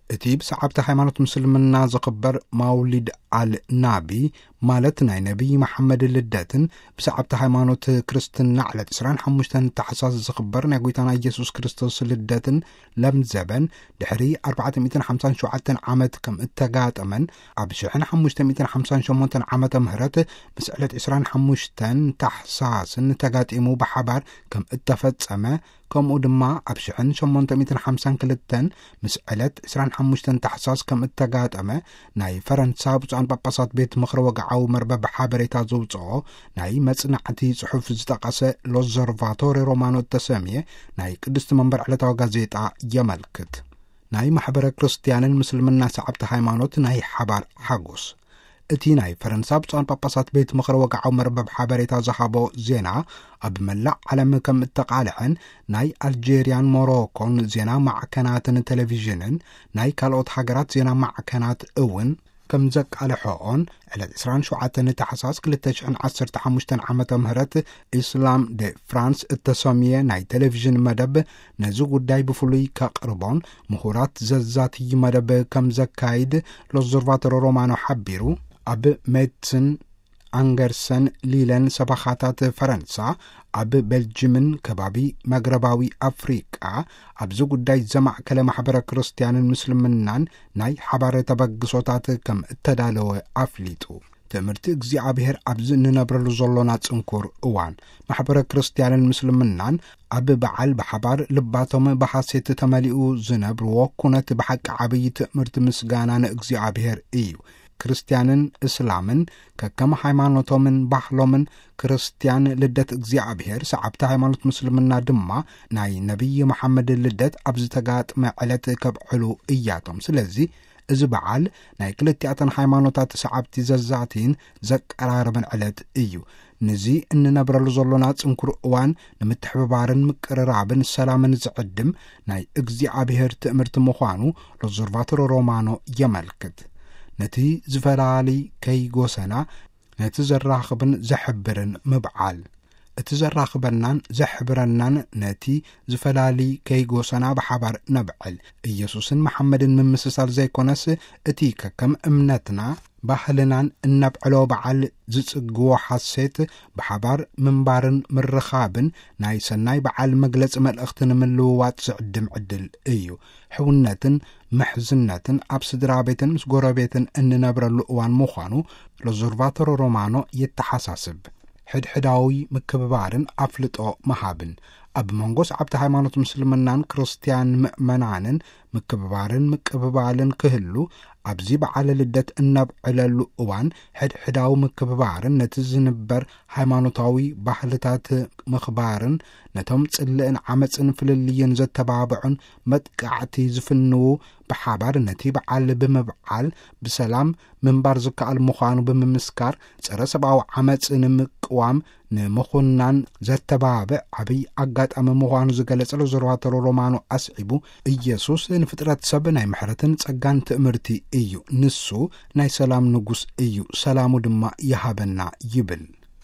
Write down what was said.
እቲ ብሰዓብቲ ሃይማኖት ምስልምና ዝኽበር ማውሊድ ኣል ናቢ፣ ማለት ናይ ነቢይ መሓመድ ልደትን፣ ብሰዓብቲ ሃይማኖት ክርስትና ዕለት ዕስራን ሓሙሽተን ታሕሳስ ዝኽበር ናይ ጐይታና ኢየሱስ ክርስቶስ ልደትን ለምዘበን፣ ድሕሪ ኣርባዕተ ሚእትን ሓምሳን ሸውዓተን ዓመት ከም እተጋጠመን፣ ኣብ ሽሕን ሓሙሽተ ሚእትን ሓምሳን ሸሞንተን ዓመተ ምህረት ምስ ዕለት ዕስራን ሓሙሽተን ታሕሳስን ተጋጢሙ ብሓባር ከም እተፈጸመ፣ ከምኡ ድማ ኣብ ሽሕን ሸሞንተ ሚእትን ሓምሳን ክልተን ምስ ዕለት ዕስራን ሓሙሽተን ታሕሳስ ከም እተጋጠመ ናይ ፈረንሳ ብፁዓን ጳጳሳት ቤት ምኽሪ ወግዓዊ መርበብ ሓበሬታ ዘውፅኦ ናይ መጽናዕቲ ጽሑፍ ዝጠቐሰ ሎዘርቫቶሪ ሮማኖ እተሰምየ ናይ ቅድስቲ መንበር ዕለታዊ ጋዜጣ የመልክት። ናይ ማሕበረ ክርስትያንን ምስልምና ሰዓብቲ ሃይማኖት ናይ ሓባር ሓጎስ። እቲ ናይ ፈረንሳ ብፁዓን ጳጳሳት ቤት ምኽሪ ወግዓዊ መርበብ ሓበሬታ ዝሃቦ ዜና፣ ኣብ መላእ ዓለም ከም እተቓልሐን ናይ ኣልጄርያን ሞሮኮን ዜና ማዕከናትን ቴሌቪዥንን ናይ ካልኦት ሃገራት ዜና ማዕከናት እውን ከም ዘቃልሖኦን፣ ዕለት ዕስራን ሸውዓተን ታሕሳስ ክልተ ሽሕን ዓሰርተ ሓሙሽተን ዓመተ ምህረት ኢስላም ደ ፍራንስ እተሰምየ ናይ ቴሌቪዥን መደብ ነዚ ጉዳይ ብፍሉይ ከቕርቦን ምሁራት ዘዛትይ መደብ ከም ዘካይድ ሎዘርቫቶሮ ሮማኖ ሓቢሩ። ኣብ ሜድስን፣ ኣንገርሰን፣ ሊለን ሰበኻታት ፈረንሳ፣ ኣብ ቤልጅምን ከባቢ መግረባዊ ኣፍሪቃ ኣብዚ ጉዳይ ዘማእከለ ማሕበረ ክርስትያንን ምስልምናን ናይ ሓባር ተበግሶታት ከም እተዳለወ ኣፍሊጡ። ትምህርቲ እግዚኣብሔር ኣብዚ እንነብረሉ ዘሎና ጽንኩር እዋን፣ ማሕበረ ክርስትያንን ምስልምናን ኣብ በዓል ብሓባር ልባቶም ብሓሴት ተመሊኡ ዝነብርዎ ኩነት ብሓቂ ዓብዪ ትምህርቲ ምስጋና ንእግዚኣብሔር እዩ። ክርስትያንን እስላምን ከከም ሃይማኖቶምን ባህሎምን፣ ክርስትያን ልደት እግዚኣብሔር፣ ሰዓብቲ ሃይማኖት ምስልምና ድማ ናይ ነቢይ መሓመድ ልደት ኣብ ዝተጋጥመ ዕለት ከብዕሉ እያቶም። ስለዚ እዚ በዓል ናይ ክልቲኣተን ሃይማኖታት ሰዓብቲ ዘዛትይን ዘቀራርብን ዕለት እዩ። ንዚ እንነብረሉ ዘሎና ጽንኩር እዋን ንምትሕብባርን ምቅርራብን ሰላምን ዝዕድም ናይ እግዚኣብሔር ትእምርቲ ምዃኑ ሎዘርቫቶሮ ሮማኖ የመልክት። ነቲ ዝፈላሊ ከይጎሰና፣ ነቲ ዘራኽብን ዘሕብርን ምብዓል። እቲ ዘራኽበናን ዘሕብረናን ነቲ ዝፈላሊ ከይጎሰና ብሓባር ነብዕል። ኢየሱስን መሓመድን ምምስሳል ዘይኮነስ፣ እቲ ከከም እምነትና ባህልናን እነብዕሎ በዓል ዝጽግዎ ሓሴት ብሓባር ምንባርን ምርኻብን ናይ ሰናይ በዓል መግለጺ መልእኽቲ ንምልውዋጥ ዝዕድም ዕድል እዩ። ሕውነትን ምሕዝነትን ኣብ ስድራ ቤትን ምስ ጎረቤትን እንነብረሉ እዋን ምዃኑ ሎዘርቫቶሮ ሮማኖ የተሓሳስብ። ሕድሕዳዊ ምክብባርን ኣፍልጦ ምሃብን። ኣብ መንጎ ሰዓብቲ ሃይማኖት ምስልምናን ክርስትያን ምእመናንን ምክብባርን ምቅብባልን ክህሉ፣ ኣብዚ በዓለ ልደት እነብዕለሉ እዋን ሕድሕዳዊ ምክብባርን ነቲ ዝንበር ሃይማኖታዊ ባህልታት ምኽባርን ነቶም ጽልእን ዓመጽን ፍልልይን ዘተባብዑን መጥቃዕቲ ዝፍንዉ ብሓባር ነቲ በዓል ብምብዓል ብሰላም ምንባር ዝከኣል ምዃኑ ብምምስካር፣ ጸረ ሰብኣዊ ዓመጽ ንምቅዋም ንምኹናን ዘተባብዕ ዓብይ ኣጋጣሚ ምዃኑ ዝገለጸ ሎዘርቫቶሮ ሮማኖ ኣስዒቡ፣ ኢየሱስ ንፍጥረት ሰብ ናይ ምሕረትን ጸጋን ትእምርቲ እዩ። ንሱ ናይ ሰላም ንጉስ እዩ፣ ሰላሙ ድማ ይሃበና ይብል።